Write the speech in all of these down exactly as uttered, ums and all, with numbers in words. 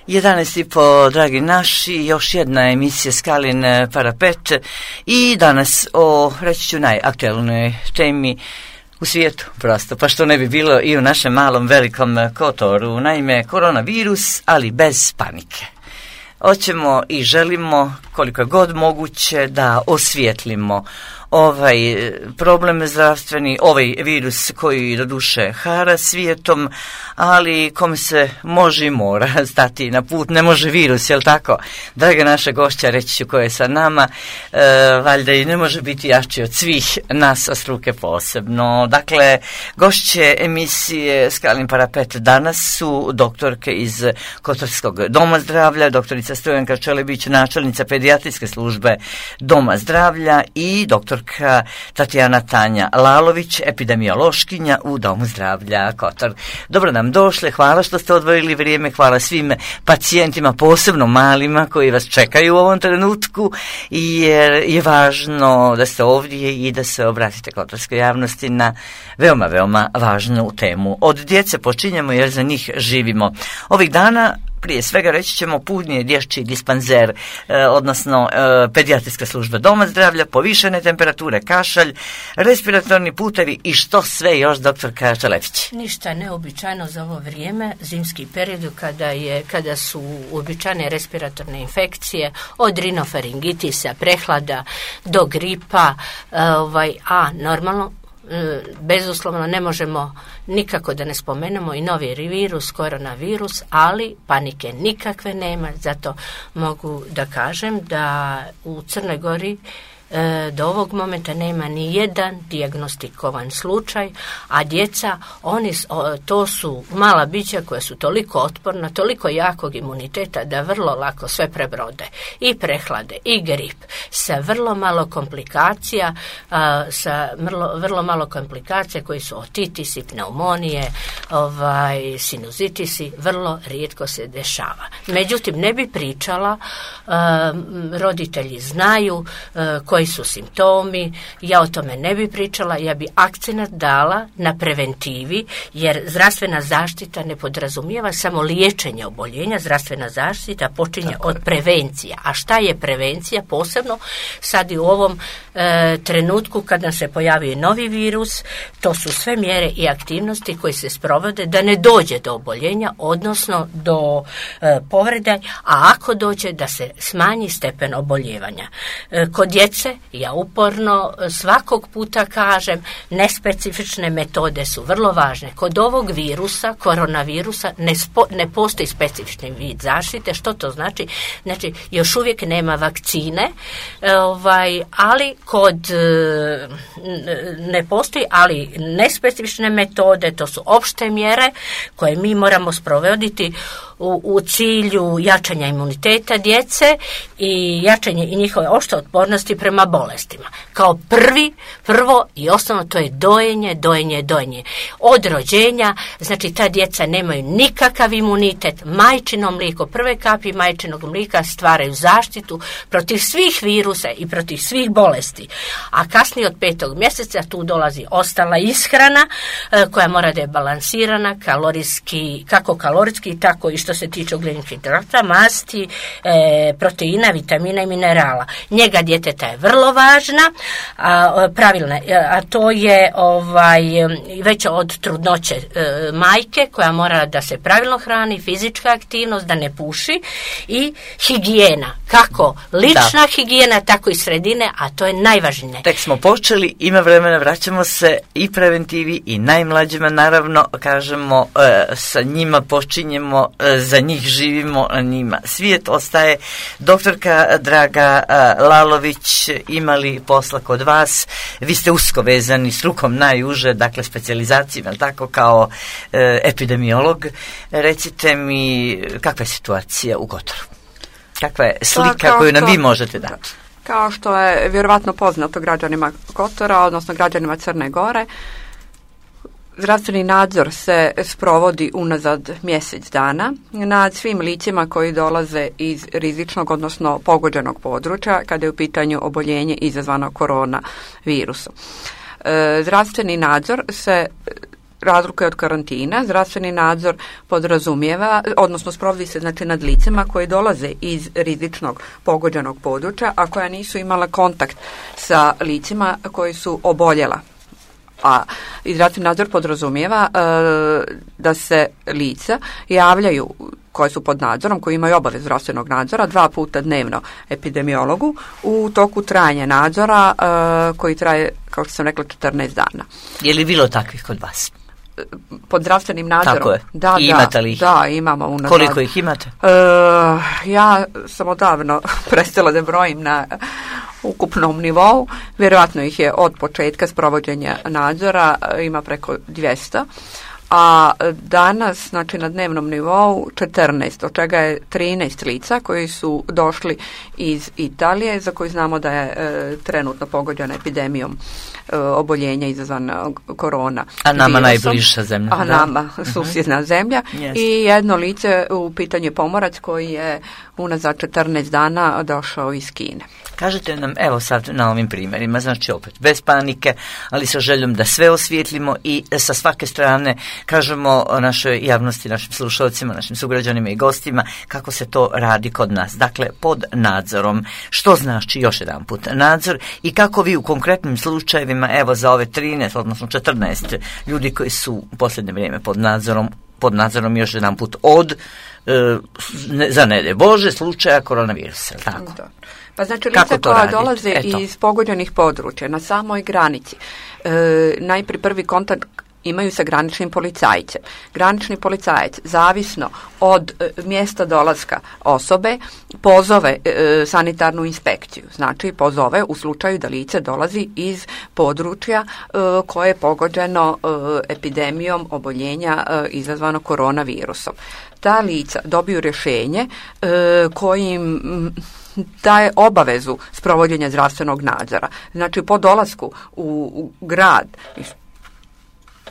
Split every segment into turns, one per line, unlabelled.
jedanaest i po, dragi naši, još jedna emisija Skalin parapet i danas o, reći ću, najaktualnoj temi u svijetu, prosto, pa što ne bi bilo i u našem malom velikom Kotoru, naime koronavirus, ali bez panike. Hoćemo i želimo koliko je god moguće da osvijetlimo ovaj problem zdravstveni, ovaj virus koji doduše hara svijetom, ali kome se može i mora stati na put, ne može virus, jel tako? Draga naša gošća, reći ću koja je sa nama, e, valjda i ne može biti jači od svih nas, a struke posebno. Dakle, gošće emisije Skalin parapet danas su doktorke iz Kotorskog doma zdravlja, doktorica Stojanka Čelebić, načelnica pedijatrijske službe doma zdravlja i doktor Tatjana Tanja Lalović, epidemiološkinja u Domu zdravlja Kotor. Dobro nam došle, hvala što ste odvojili vrijeme, hvala svim pacijentima, posebno malima koji vas čekaju u ovom trenutku, jer je važno da ste ovdje i da se obratite kotorskoj javnosti na veoma, veoma važnu temu. Od djece počinjemo jer za njih živimo. Ovih dana prije svega reći ćemo puni je dječji dispanzer, eh, odnosno eh, pedijatrijska služba doma zdravlja, povišene temperature, kašalj, respiratorni putevi i što sve još, doktorka Čelebić.
Ništa neobičajno za ovo vrijeme, zimski period kada, je, kada su uobičajene respiratorne infekcije, od rinofaringitisa, prehlada do gripa, eh, ovaj, a normalno bezuslovno ne možemo nikako da ne spomenemo i novi virus, koronavirus, ali panike nikakve nema, zato mogu da kažem da u Crnoj Gori do ovog momenta nema ni jedan dijagnostikovan slučaj, a djeca, oni, to su mala bića koja su toliko otporna, toliko jakog imuniteta da vrlo lako sve prebrode. I prehlade, i grip, sa vrlo malo komplikacija, sa vrlo, vrlo malo komplikacija koji su otitisi, pneumonije, ovaj, sinuzitisi, vrlo rijetko se dešava. Međutim, ne bi pričala, roditelji znaju koji su simptomi, ja o tome ne bi pričala, ja bi akcenat dala na preventivi, jer zdravstvena zaštita ne podrazumijeva samo liječenje oboljenja, zdravstvena zaštita počinje Tako. od prevencije. A šta je prevencija? Posebno sad i u ovom e, trenutku kada se pojavio novi virus, to su sve mjere i aktivnosti koje se sprovode da ne dođe do oboljenja, odnosno do e, povrede, a ako dođe da se smanji stepen oboljevanja. E, kod djece ja uporno svakog puta kažem, nespecifične metode su vrlo važne. Kod ovog virusa, koronavirusa, ne, spo, ne postoji specifični vid zaštite. Što to znači? Znači, još uvijek nema vakcine, ovaj, ali kod ne postoji, ali nespecifične metode, to su opšte mjere koje mi moramo sprovoditi u, u cilju jačanja imuniteta djece i jačanje i njihove opšte otpornosti prema bolestima. Kao prvi, prvo i osnovno to je dojenje, dojenje, dojenje. Od rođenja, znači ta djeca nemaju nikakav imunitet, majčino mlijeko, prve kapi majčinog mlijeka stvaraju zaštitu protiv svih virusa i protiv svih bolesti. A kasnije od petog mjeseca tu dolazi ostala ishrana e, koja mora da je balansirana, kalorijski, kako kalorijski, tako i što se tiče ugljenih hidrata, masti, e, proteina, vitamina i minerala. Njega djeteta je vrlo važna, a, pravilna, a to je ovaj, već od trudnoće e, majke koja mora da se pravilno hrani, fizička aktivnost, da ne puši i higijena, kako lična da. higijena, tako i sredine, a to je najvažnije.
Tek smo počeli, ima vremena, vraćamo se i preventivi i najmlađima, naravno, kažemo, e, sa njima počinjemo, e, za njih živimo, a njima svijet ostaje. Doktorka draga e, Lalović, imali posla kod vas, vi ste usko vezani s rukom najuže, dakle specijalizacijom, tako kao e, epidemiolog. Recite mi kakva je situacija u Kotoru? Kakva je slika koju nam vi možete dati?
Kao što je vjerovatno poznato građanima Kotora, odnosno građanima Crne Gore, zdravstveni nadzor se sprovodi unazad mjesec dana nad svim licima koji dolaze iz rizičnog, odnosno pogođenog područja kada je u pitanju oboljenje izazvano koronavirusom. E, zdravstveni nadzor se razlika je od karantina. Zdravstveni nadzor podrazumijeva, odnosno sprovodi se znači nad licima koji dolaze iz rizičnog pogođenog područja, a koja nisu imala kontakt sa licima koji su oboljela. A zdravstveni nadzor podrazumijeva e, da se lica javljaju koje su pod nadzorom, koji imaju obavez zdravstvenog nadzora dva puta dnevno epidemiologu u toku trajanja nadzora e, koji traje, kao što sam rekla, četrnaest dana.
Je li bilo takvih kod vas?
Pod zdravstvenim nadzorom?
Tako je.
Da,
I
da,
imate li ih?
Da, imamo unazad.
Koliko ih imate?
E, ja sam odavno prestala da brojim na ukupnom nivou. Vjerojatno ih je od početka sprovođenja nadzora ima preko dvjesto, a danas, znači na dnevnom nivou četrnaest, od čega je trinaest lica koji su došli iz Italije, za koji znamo da je e, trenutno pogođena epidemijom e, oboljenja izazvana korona
A nama
virusom.
Najbliža zemlja.
A
da.
nama susjedna uh-huh. zemlja.
Yes.
I jedno lice u pitanju je pomorac koji je unazad četrnaest dana došao iz Kine.
Kažete nam, evo sad na ovim primjerima, znači opet bez panike, ali sa željom da sve osvijetlimo i sa svake strane kažemo našoj javnosti, našim slušalcima, našim sugrađanima i gostima kako se to radi kod nas. Dakle, pod nadzorom. Što znači još jedan put nadzor i kako vi u konkretnim slučajevima, evo za ove trinaest, odnosno četrnaest ljudi koji su u posljednje vrijeme pod nadzorom, pod nadzorom još jedan put od, e, ne, za ne daj Bože, slučaja koronavirusa, tako?
Da. Pa znači lica koja
radite?
dolaze
Eto.
iz pogođenih područja na samoj granici, e, najprije prvi kontakt imaju sa graničnim policajcem. Granični policajac, zavisno od e, mjesta dolaska osobe, pozove e, sanitarnu inspekciju. Znači, pozove u slučaju da lice dolazi iz područja e, koje je pogođeno e, epidemijom oboljenja e, izazvano koronavirusom. Ta lica dobiju rješenje e, kojim daje obavezu sprovođenja zdravstvenog nadzora. Znači, po dolasku u, u grad,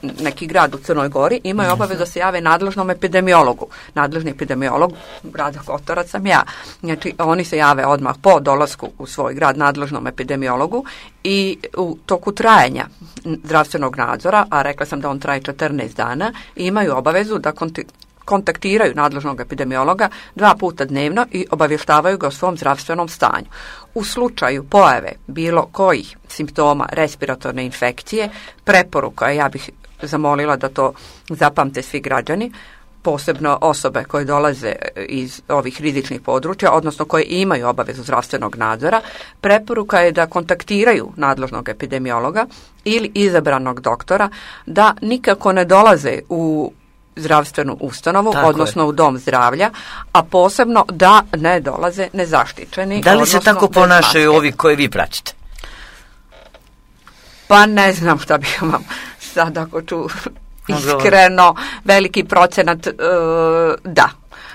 neki grad u Crnoj Gori, imaju obavezu da se jave nadležnom epidemiologu. Nadležni epidemiolog grada Kotorac sam ja. Znači, oni se jave odmah po dolasku u svoj grad nadležnom epidemiologu i u toku trajanja zdravstvenog nadzora, a rekla sam da on traje četrnaest dana, imaju obavezu da konti- kontaktiraju nadležnog epidemiologa dva puta dnevno i obavještavaju ga o svom zdravstvenom stanju. U slučaju pojave bilo kojih simptoma respiratorne infekcije, preporuka, ja bih zamolila da to zapamte svi građani, posebno osobe koje dolaze iz ovih rizičnih područja, odnosno koje imaju obavezu zdravstvenog nadzora, preporuka je da kontaktiraju nadležnog epidemiologa ili izabranog doktora, da nikako ne dolaze u zdravstvenu ustanovu,
tako
odnosno je. U dom zdravlja, a posebno da ne dolaze nezaštićeni.
Da li se tako ponašaju ovi koje vi pratite?
Pa ne znam šta bih vam sad ako ću iskreno, veliki procenat uh, da,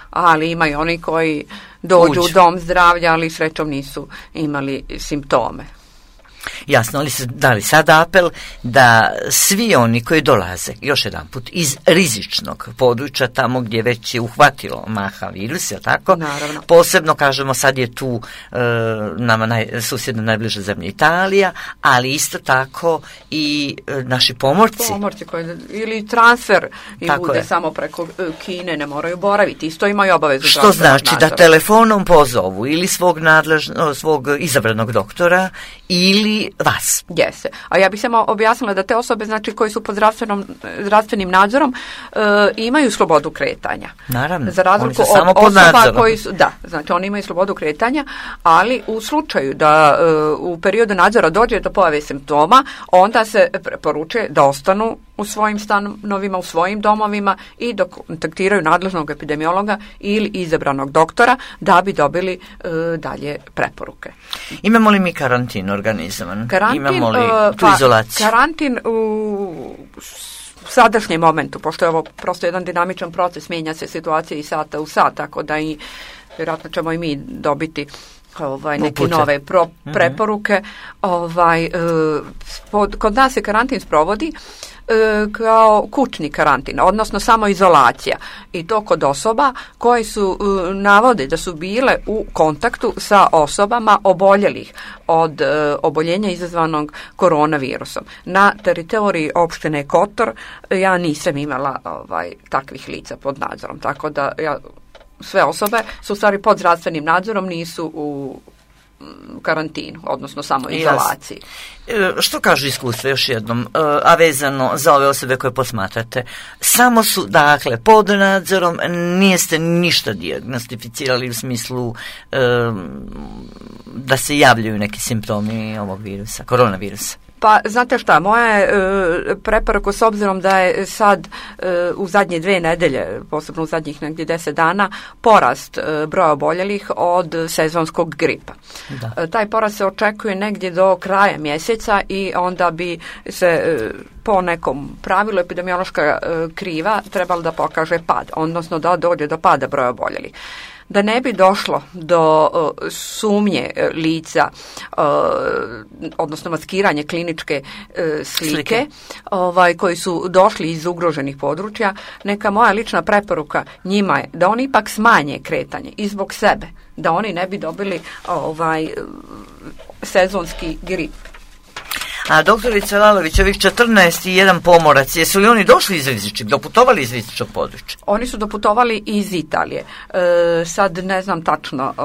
ali imaju oni koji dođu Uđu. u dom zdravlja, ali srećom nisu imali simptome.
Jasno, ali se dali sad apel da svi oni koji dolaze, još jedan put, iz rizičnog područja, tamo gdje već je uhvatilo maha virus, je tako?
Naravno.
Posebno, kažemo, sad je tu e, nama naj, susjedna najbliža zemlja Italija, ali isto tako i e, naši pomorci.
Pomorci koji, ili transfer i
tako
bude
je.
Samo preko e, Kine, ne moraju boraviti, isto imaju obavezu.
Što znači nadzora. Da telefonom pozovu ili svog, nadležno, svog izabranog doktora ili vas.
Jese. A ja bih samo objasnila da te osobe, znači, koji su pod zdravstvenom, zdravstvenim nadzorom e, imaju slobodu kretanja.
Naravno.
Za razliku od
samo
osoba koji su, da, znači oni imaju slobodu kretanja, ali u slučaju da e, u periodu nadzora dođe do pojave simptoma, onda se preporučuje da ostanu u svojim stanovima, u svojim domovima i da kontaktiraju nadležnog epidemiologa ili izabranog doktora da bi dobili e, dalje preporuke.
Imamo li mi karantin organizovan?
Karantin,
Imamo li tu
pa,
izolaciju?
Karantin u sadašnjem momentu, pošto je ovo prosto jedan dinamičan proces, mijenja se situacija i sata u sat, tako da i vjerojatno ćemo i mi dobiti ovaj, neke Upute. nove pro, preporuke. Mm-hmm. Ovaj, pod, kod nas se karantin sprovodi kao kućni karantin, odnosno samoizolacija, i to kod osoba koje su navode da su bile u kontaktu sa osobama oboljelih od oboljenja izazvanog koronavirusom. Na teritoriji opštine Kotor ja nisam imala ovaj, takvih lica pod nadzorom, tako da ja, sve osobe su u stvari pod zdravstvenim nadzorom, nisu u karantinu, odnosno samo izolaciji.
Što kažu iskustva, još jednom, a vezano za ove osobe koje posmatrate? Samo su, dakle, pod nadzorom, niste ništa dijagnostificirali u smislu um, da se javljaju neki simptomi ovog virusa, koronavirusa?
Pa, znate šta, moja je e, preporuka, s obzirom da je sad e, u zadnje dve nedelje, posebno u zadnjih negdje deset dana, porast e, broja oboljelih od sezonskog gripa. E, taj porast se očekuje negdje do kraja mjeseca i onda bi se e, po nekom pravilu epidemiološka e, kriva trebalo da pokaže pad, odnosno da dođe do pada broja oboljelih. Da ne bi došlo do uh, sumnje uh, lica, uh, odnosno maskiranje kliničke uh, slike, slike. Ovaj, koji su došli iz ugroženih područja, neka moja lična preporuka njima je da oni ipak smanje kretanje i zbog sebe, da oni ne bi dobili ovaj, sezonski grip.
A doktorica Lalović, ovih četrnaest i jedan pomorac, jesu li oni došli iz rizičnog, doputovali iz rizičnog područja?
Oni su doputovali iz Italije. E, sad ne znam tačno e,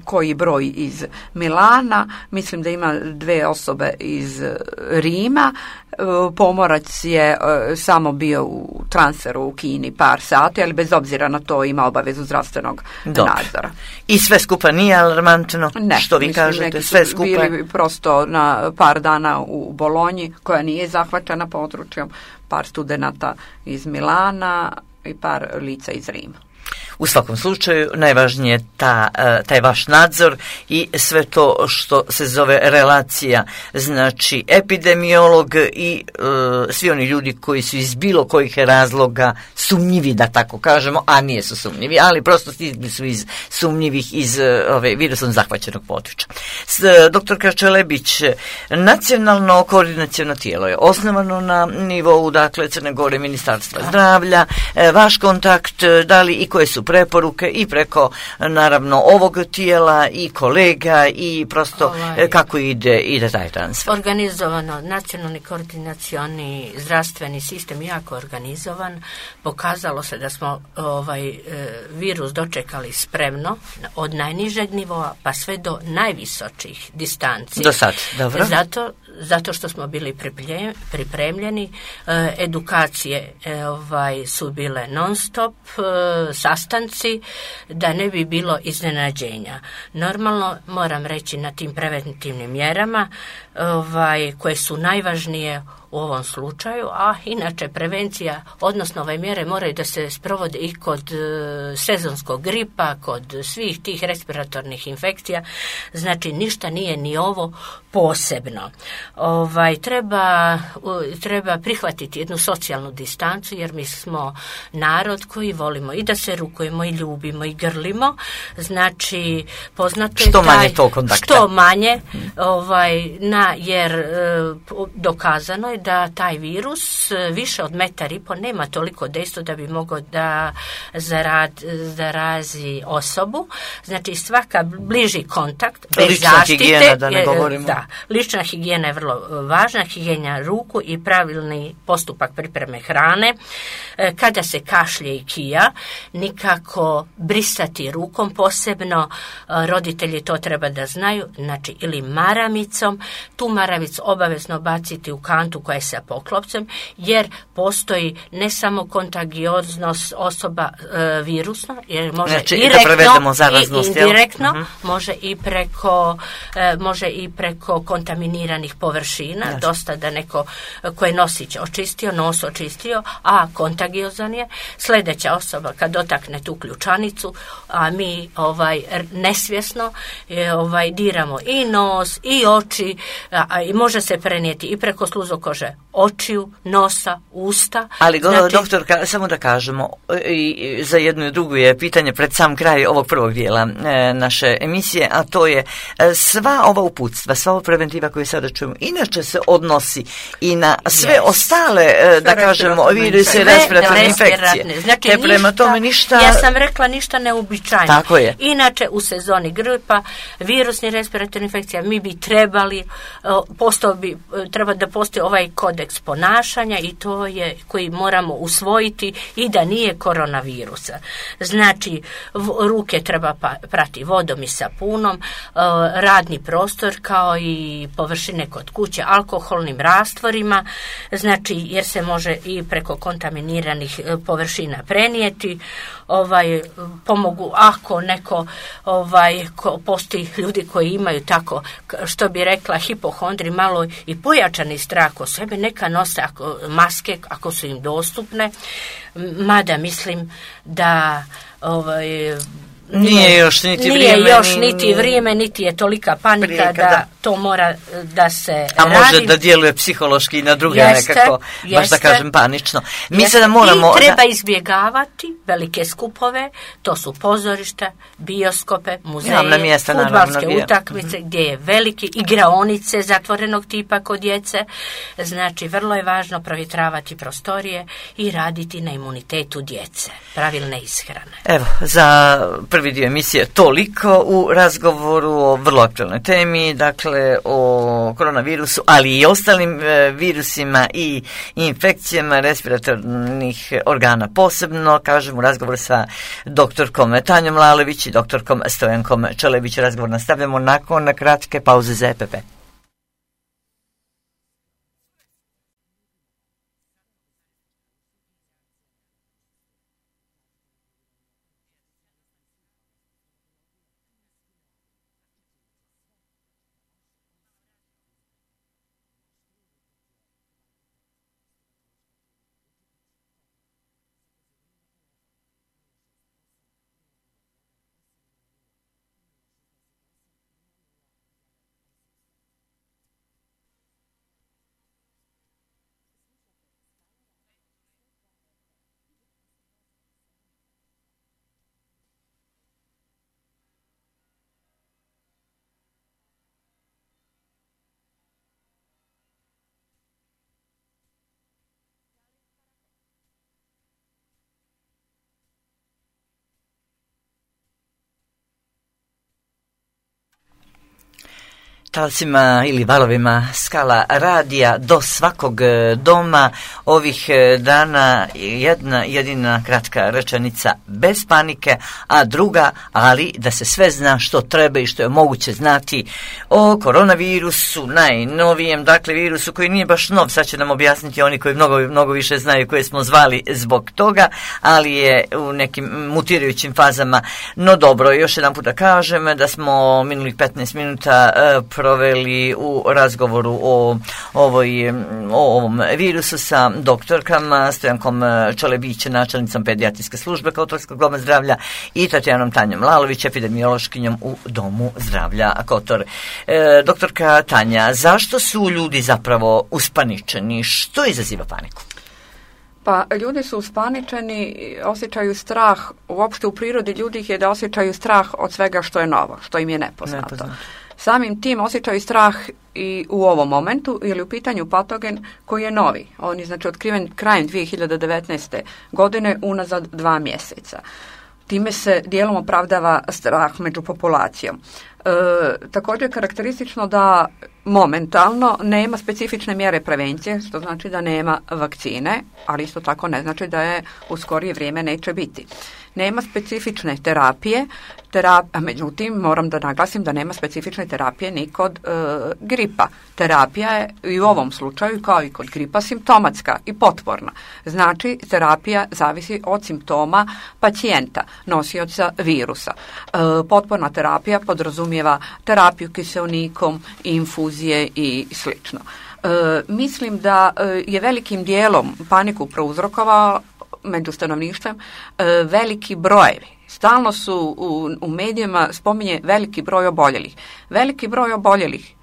koji broj iz Milana, mislim da ima dve osobe iz Rima. E, pomorac je e, samo bio u transferu u Kini par sati, ali bez obzira na to ima obavezu zdravstvenog Dobre. nadzora.
I sve skupa nije alarmantno?
Ne,
što vi
mislim,
kažete, sve skupa
bili prosto na par dana u u Bolonji, koja nije zahvaćena područjem, par studenata iz Milana i par lica iz Rima.
U svakom slučaju, najvažnije je ta, taj vaš nadzor i sve to što se zove relacija, znači epidemiolog i e, svi oni ljudi koji su iz bilo kojih razloga sumnjivi, da tako kažemo, a nije su sumnjivi, ali prosto stigli su iz sumnjivih iz ove virusom zahvaćenog područja. S, doktorka Čelebić, nacionalno koordinaciono tijelo je osnovano na nivou, dakle, Crne Gore, Ministarstva zdravlja, e, vaš kontakt, da li i koje su preporuke i preko, naravno, ovog tijela i kolega i prosto ovaj, kako ide, ide taj transfer?
Organizovano, nacionalni koordinacioni zdravstveni sistem jako organizovan. Pokazalo se da smo ovaj virus dočekali spremno od najnižeg nivoa pa sve do najvisočih distanci.
Do sad, dobro.
Zato zato što smo bili pripremljeni, e, edukacije e, ovaj, su bile non stop, e, sastanci, da ne bi bilo iznenađenja. Normalno, moram reći, na tim preventivnim mjerama ovaj, koje su najvažnije u ovom slučaju, a inače prevencija, odnosno ove mjere moraju da se sprovode i kod e, sezonskog gripa, kod svih tih respiratornih infekcija, znači ništa nije ni ovo posebno. Ovaj, treba, treba prihvatiti jednu socijalnu distancu, jer mi smo narod koji volimo i da se rukujemo i ljubimo i grlimo, znači poznato je
što
taj,
manje to kontakta.
Što manje, ovaj, na, jer e, dokazano je da taj virus više od metar i po nema toliko dejstvo da bi mogao da zarad, zarazi osobu. Znači svaka bliži kontakt bez
lična
zaštite,
higijena, da ne govorimo.
Da, lična higijena je vrlo važna, higijena ruku i pravilni postupak pripreme hrane. Kada se kašlje i kija, nikako brisati rukom, posebno roditelji to treba da znaju, znači ili maramicom, tu maramicu obavezno baciti u kantu koja je sa poklopcem, jer postoji ne samo kontagioznost osoba e, virusno, jer može
znači,
direktno
i
indirektno,
uh-huh.
može i preko e, može i preko kontaminiranih površina, znači. Dosta da neko koji nosić očistio, nos očistio, a kontagiozan je, sljedeća osoba kad dotakne tu ključanicu, a mi ovaj nesvjesno e, ovaj diramo i nos i oči, a, a, i može se prenijeti i preko sluzokošne može očiju, nosa, usta.
Ali
znači,
doktorka, samo da kažemo, i za jednu i drugu je pitanje pred sam kraj ovog prvog dijela e, naše emisije, a to je e, sva ova uputstva, sva ova preventiva koju sada čujemo, inače se odnosi i na sve yes. ostale, e, da kažemo, viruse, respiratorne infekcije.
Znači,
te prema
ništa,
tome ništa...
Ja sam rekla ništa neuobičajeno.
Tako je.
Inače, u sezoni gripa, virusni respiratorne infekcija, mi bi trebali, postao bi, treba da postoji ovaj kodeks ponašanja i to je koji moramo usvojiti i da nije koronavirusa. Znači, ruke treba pa, prati vodom i sapunom, radni prostor kao i površine kod kuće alkoholnim rastvorima, znači jer se može i preko kontaminiranih površina prenijeti. Ovaj, pomogu ako neko ovaj, ko, postoji ljudi koji imaju tako, što bi rekla, hipohondri, malo i pojačani strah o sebe, neka nose ako, maske ako su im dostupne, mada mislim da ovaj,
Nije, nije još niti
nije
vrijeme,
još niti vrijeme, niti je tolika panika
prijeka,
da,
da
to mora da se
a
radi.
može da djeluje psihološki na druge
jeste,
nekako,
jeste,
baš da kažem panično. Mi
jeste.
sada moramo...
I treba
da...
izbjegavati velike skupove, to su pozorišta, bioskope, muzeje,
mjesta,
fudbalske
naravno,
utakmice, mm-hmm. gdje je veliki, igraonice zatvorenog tipa kod djece. Znači, vrlo je važno provjetravati prostorije i raditi na imunitetu djece, pravilne ishrane.
Evo, za prvi dio emisije toliko u razgovoru o vrlo aktualnoj temi, dakle o koronavirusu, ali i ostalim e, virusima i infekcijama respiratornih organa posebno, kažem u razgovoru sa doktorkom Tanjom Lalović i doktorkom Stojankom Čelebić. Razgovor nastavljamo nakon kratke pauze za E P P. Talcima ili valovima skala radija do svakog doma ovih dana jedna jedina kratka rečenica bez panike, a druga, ali da se sve zna što treba i što je moguće znati o koronavirusu, najnovijem, dakle virusu koji nije baš nov, sad će nam objasniti oni koji mnogo, mnogo više znaju, koje smo zvali zbog toga, ali je u nekim mutirajućim fazama. No dobro, još jedan put da kažem da smo minulih petnaest minuta uh, proveli u razgovoru o, ovoj, o ovom virusu sa doktorkama Stojankom Čelebić, načelnicom pedijatrijske službe Kotorskog doma zdravlja, i Tatjanom Tanjom Lalović, epidemiološkinjom u Domu zdravlja Kotor. E, doktorka Tanja, zašto su ljudi zapravo uspaničeni? Što izaziva paniku?
Pa ljudi su uspaničeni, osjećaju strah, uopšte u prirodi ljudi je da osjećaju strah od svega što je novo, što im je nepoznato. nepoznato. Samim tim osjećaju strah i u ovom momentu, jer je u pitanju patogen koji je novi. On je znači otkriven krajem dvije hiljade devetnaeste. godine, unazad dva mjeseca. Time se dijelom opravdava strah među populacijom. E, također je karakteristično da momentalno nema specifične mjere prevencije, što znači da nema vakcine, ali isto tako ne znači da je u skorije vrijeme neće biti. Nema specifične terapije, terap, a međutim moram da naglasim da nema specifične terapije ni kod e, gripa. Terapija je i u ovom slučaju kao i kod gripa simptomatska i potporna. Znači terapija zavisi od simptoma pacijenta, nosioca virusa. E, potporna terapija podrazumijeva terapiju kiseonikom, infuzije i slično. E, mislim da je velikim dijelom paniku prouzrokovao među stanovništvom e, veliki brojevi. Stalno su u, u medijima spominje veliki broj oboljelih. Veliki broj oboljelih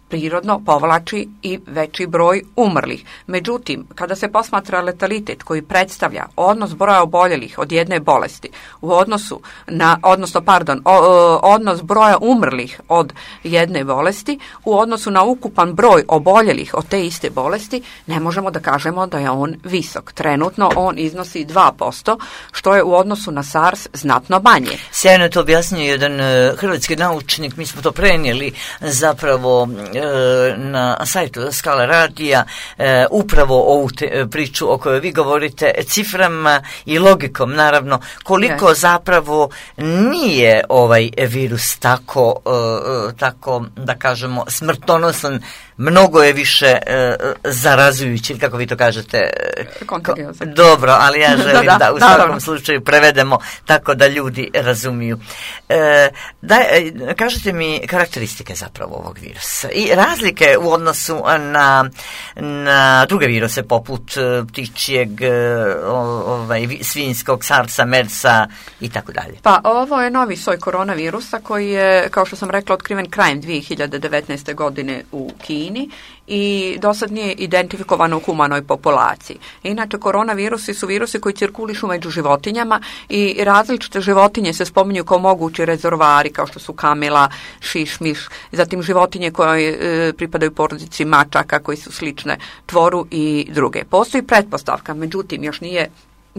prirodno povlači i veći broj umrlih. Međutim, kada se posmatra letalitet koji predstavlja odnos broja oboljelih od jedne bolesti u odnosu na, odnosno, pardon, o, odnos broja umrlih od jedne bolesti u odnosu na ukupan broj oboljelih od te iste bolesti, ne možemo da kažemo da je on visok. Trenutno on iznosi dva posto, što je u odnosu na SARS znatno manje.
Sjajno je to objasnio jedan uh, hrvatski naučnik, mi smo to prenijeli zapravo uh, na sajtu Skala radija, uh, upravo ovu te, priču o kojoj vi govorite, ciframa i logikom, naravno, koliko yes. zapravo nije ovaj virus tako, uh, tako da kažemo, smrtonosan, mnogo je više uh, zarazujući, ili kako vi to kažete?
Kontagiozan.
Dobro, ali ja želim da, da, da u svakom
naravno.
slučaju prevedemo tako da ljudi razumiju. E, da, kažete mi karakteristike zapravo ovog virusa i razlike u odnosu na, na druge viruse poput ptičjeg, ovaj, svinjskog, SARS-a, MERS-a i tako dalje.
Pa ovo je novi soj koronavirusa koji je, kao što sam rekla, otkriven krajem dvije hiljade devetnaeste. godine u Kini i do sad nije identifikovano u humanoj populaciji. Inače, koronavirusi su virusi koji cirkulišu među životinjama i različite životinje se spominju kao mogući rezervoari, kao što su kamila, šišmiš, zatim životinje koje e, pripadaju porodici mačaka koji su slične tvoru i druge. Postoji pretpostavka, međutim, još nije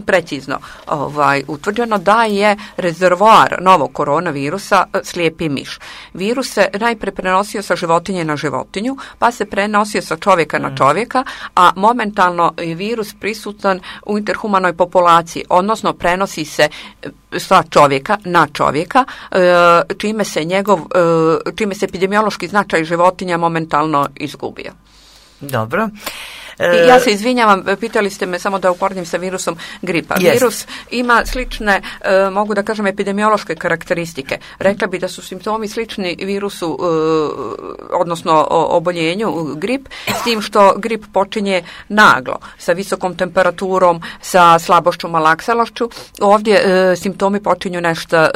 precizno ovaj, utvrđeno da je rezervoar novog koronavirusa slijepi miš. Virus se najpre prenosio sa životinje na životinju, pa se prenosio sa čovjeka mm. na čovjeka, a momentalno je virus prisutan u interhumanoj populaciji, odnosno prenosi se sa čovjeka na čovjeka, čime se njegov, čime se epidemiološki značaj životinja momentalno izgubio.
Dobro.
I ja se izvinjavam, pitali ste me samo da uporedim sa virusom gripa.
Yes.
Virus ima slične, e, mogu da kažem, epidemiološke karakteristike. Rekla bi da su simptomi slični virusu, e, odnosno o, oboljenju grip, s tim što grip počinje naglo, sa visokom temperaturom, sa slabošću, malaksalošću. Ovdje e, simptomi počinju nešto e,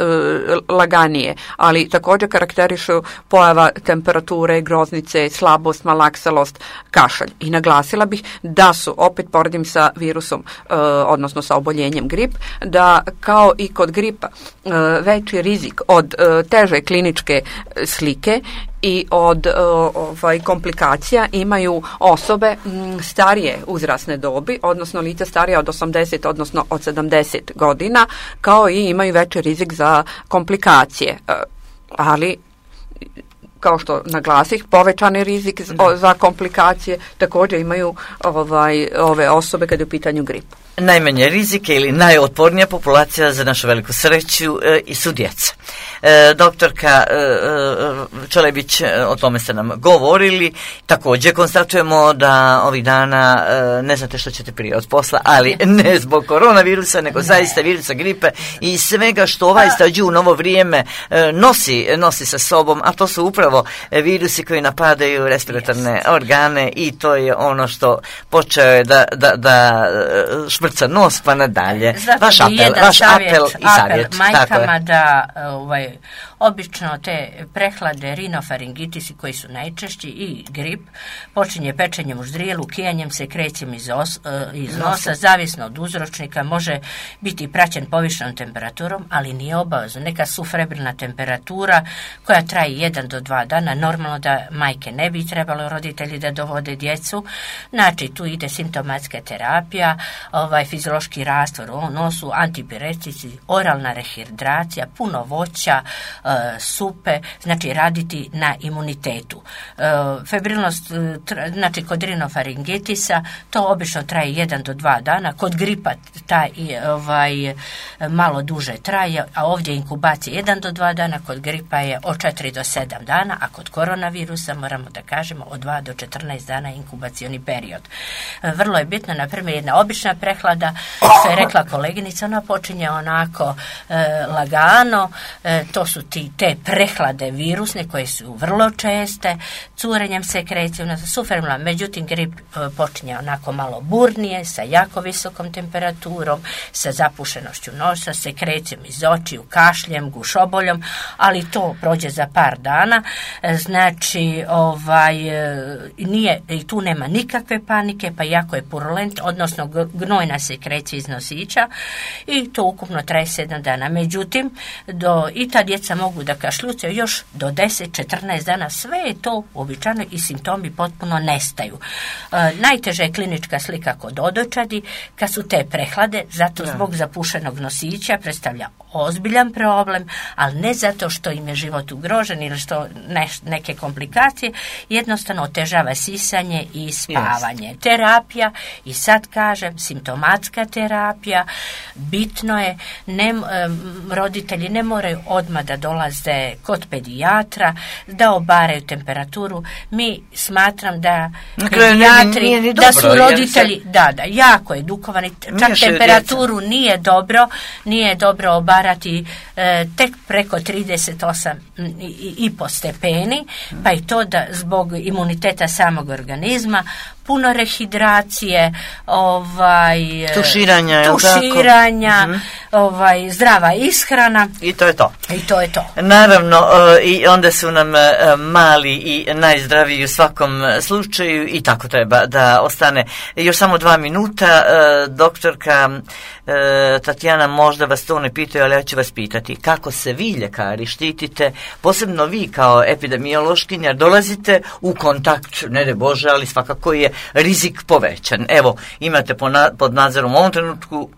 laganije, ali također karakterišu pojava temperature, groznice, slabost, malaksalost, kašalj. I naglasila bi da su, opet poredim sa virusom, e, odnosno sa oboljenjem grip, da kao i kod gripa e, veći rizik od e, teže kliničke slike i od e, ovaj, komplikacija imaju osobe m, starije uzrasne dobi, odnosno lica starija od osamdeset, odnosno od sedamdeset godina, kao i imaju veći rizik za komplikacije. E, ali kao što naglasih, povećani rizik za, za komplikacije također imaju ovaj, ove osobe kada je u pitanju grip.
Najmanje rizike ili najotpornija populacija za našu veliku sreću e, i su djeca. E, doktorka e, Čelebić, o tome ste nam govorili. Također konstatujemo da ovih dana e, ne znate što ćete prije od posla, ali ne zbog koronavirusa, nego zaista virusa gripe i svega što ovaj stađu u novo vrijeme e, nosi, nosi sa sobom, a to su upravo virusi koji napadaju respiratorne yes. organe i to je ono što počeo je da, da, da šprca nos pa nadalje.
Zato
vaš apel, vaš
savjet,
apel i savjet.
Apel majkama da ovaj, obično te prehlade, rinofaringitisi koji su najčešći i grip počinje pečenjem u ždrijelu, kijanjem se, krećem iz, os, iz nosa, zavisno od uzročnika, može biti praćen povišenom temperaturom, ali nije obavezno. Neka sufebrilna temperatura koja traje jedan do dva dana, normalno da majke ne bi trebalo roditelji da dovode djecu, znači tu ide simptomatska terapija, ovaj fiziološki rastvor u nosu, antipiretici, oralna rehidracija, puno voća, e, supe, znači raditi na imunitetu. E, febrilnost, tra, znači kod rinofaringitisa, to obično traje jedan do dva dana, kod gripa taj ovaj, malo duže traje, a ovdje inkubacija jedan do dva dana, kod gripa je od četiri do sedam dana, a kod koronavirusa moramo da kažemo od dva do četrnaest dana inkubacioni period. E, vrlo je bitno, na primjer, jedna obična prehlada prehlada, što je rekla koleginica, ona počinje onako e, lagano, e, to su ti, te prehlade virusne koje su vrlo česte, curenjem sekrecije, sufermila, međutim grip e, počinje onako malo burnije, sa jako visokom temperaturom, sa zapušenošću nosa, sekrecijom iz očiju, kašljem, gušoboljom, ali to prođe za par dana, e, znači ovaj, e, nije, i tu nema nikakve panike, pa jako je purulent, odnosno gnojna sekrecija iz nosića i to ukupno traje sedam dana. Međutim, do, i ta djeca mogu da kašljucaju još do deset do četrnaest dana, sve je to uobičajeno i simptomi potpuno nestaju. E, najteža je klinička slika kod odojčadi, kad su te prehlade, zato zbog zapušenog nosića predstavlja ozbiljan problem, ali ne zato što im je život ugrožen ili što ne, neke komplikacije, jednostavno otežava sisanje i spavanje. Yes. Terapija, i sad kažem, simptomatska terapija, bitno je, ne, roditelji ne moraju odmah da dolaze kod pedijatra, da obaraju temperaturu. Mi smatram da pedijatri, da su roditelji, da, da, jako edukovani, čak temperaturu djeca. nije dobro, nije dobro obarati e, tek preko trideset osam i po stepeni, pa i to da zbog imuniteta samog organizma, puno rehidracije, ovaj,
tuširanja,
tuširanja uh-huh. ovaj, zdrava ishrana.
I to je to.
I to je to.
Naravno, i onda su nam mali i najzdraviji u svakom slučaju i tako treba da ostane. Još samo dva minuta. Doktorka Tatjana, možda vas to ne pitaju, ali ja ću vas pitati. Kako se vi, ljekari, štitite, posebno vi kao epidemiološkinja, dolazite u kontakt, ne de Bože, ali svakako je rizik povećan. Evo, imate pod nadzorom u ovom trenutku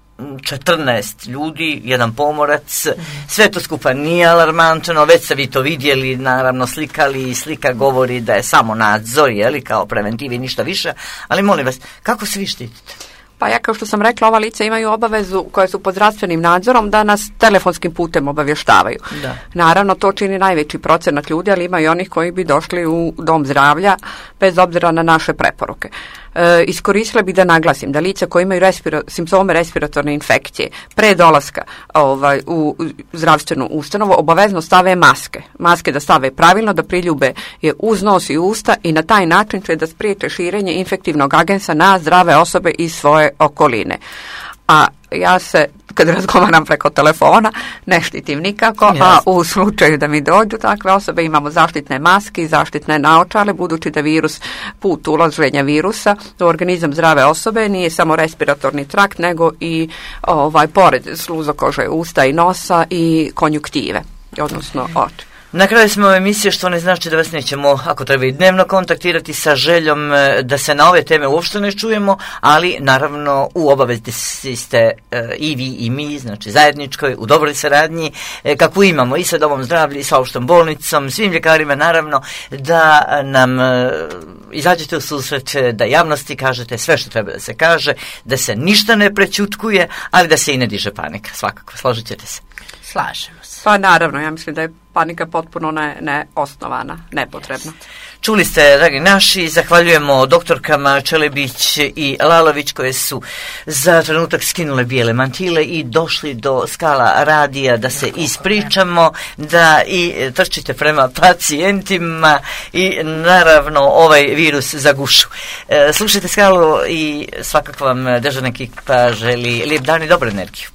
četrnaest ljudi, jedan pomorac, sve to skupa nije alarmantno, već ste vi to vidjeli, naravno slikali i slika govori da je samo nadzor, jeli, kao preventivi, ništa više, ali molim vas, kako se vi štitite?
Pa ja, kao što sam rekla, ova lica imaju obavezu koje su pod zdravstvenim nadzorom da nas telefonskim putem obavještavaju. Da. Naravno, to čini najveći procenat ljudi, ali ima i onih koji bi došli u dom zdravlja bez obzira na naše preporuke. E, iskoristila bih da naglasim da lica koji imaju respira, simptome respiratorne infekcije pre dolaska ovaj, u zdravstvenu ustanovu obavezno stave maske. Maske da stave pravilno, da priljube je uz nos i usta i na taj način će da spriječe širenje infektivnog agensa na zdrave osobe iz svoje okoline. A ja se, kad razgovaram preko telefona, ne štitim nikako, yes. a u slučaju da mi dođu takve osobe imamo zaštitne maske i zaštitne naočale, budući da virus, put ulaženja virusa u organizam zdrave osobe nije samo respiratorni trakt, nego i ovaj, pored sluzokože usta i nosa i konjuktive, odnosno oči.
Na kraju smo ove emisije, što ne znači da vas nećemo, ako treba i dnevno kontaktirati sa željom da se na ove teme uopšte ne čujemo, ali naravno u obavezi ste e, i vi i mi, znači zajedničkoj, u dobroj saradnji, e, kako imamo i sa Domom zdravlja i sa opštom bolnicom, svim ljekarima naravno, da nam e, izađete u susret, da javnosti kažete sve što treba da se kaže, da se ništa ne prećutkuje, ali da se i ne diže panika, svakako, složit ćete se.
Slažemo se.
Pa naravno, ja mislim da je panika potpuno ne, neosnovana, nepotrebna.
Čuli ste, dragi naši, zahvaljujemo doktorkama Čelebić i Lalović koje su za trenutak skinule bijele mantile i došli do skala radija da se ispričamo, da i trčite prema pacijentima i naravno ovaj virus zagušu. E, slušajte Skalu i svakako vam dežurna ekipa želi lijep dan i dobru energiju.